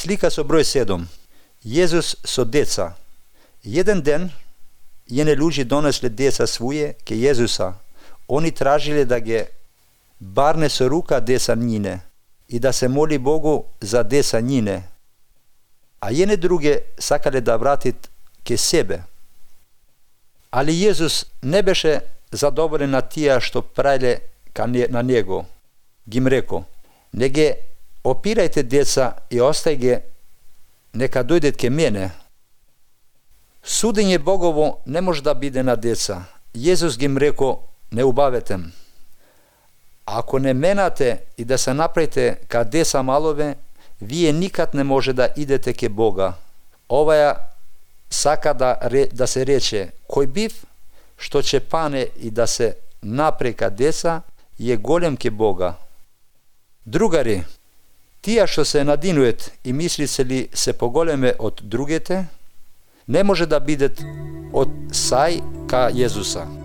Slika so broj 7. Jezus so deca. Jedan den jedne ljudi donesli deca svoje ke Jezusa. Oni tražili da ge barne so ruka deca njine i da se moli Bogu za deca njine. A jedne druge sakale da vratit ke sebe. Ali Jezus ne beše zadovoljen na tija što pravile na njego. Gim reko, nege opirajte deca i ostajte neka dojdet ke mene. Sudenje Bogovo ne može da bide na deca. Jezus gim reko, ne ubavetem. Ako ne menate i da se napravite ka deca malove, vije nikad ne može da idete ke Boga. Ovaja saka da se reče, koj biv što će pane i da se napre ka deca, je golem ke Boga. Drugari, tija što se nadinujet i misli li se pogoleme od drugete, ne može da bidet od saj ka Jezusa.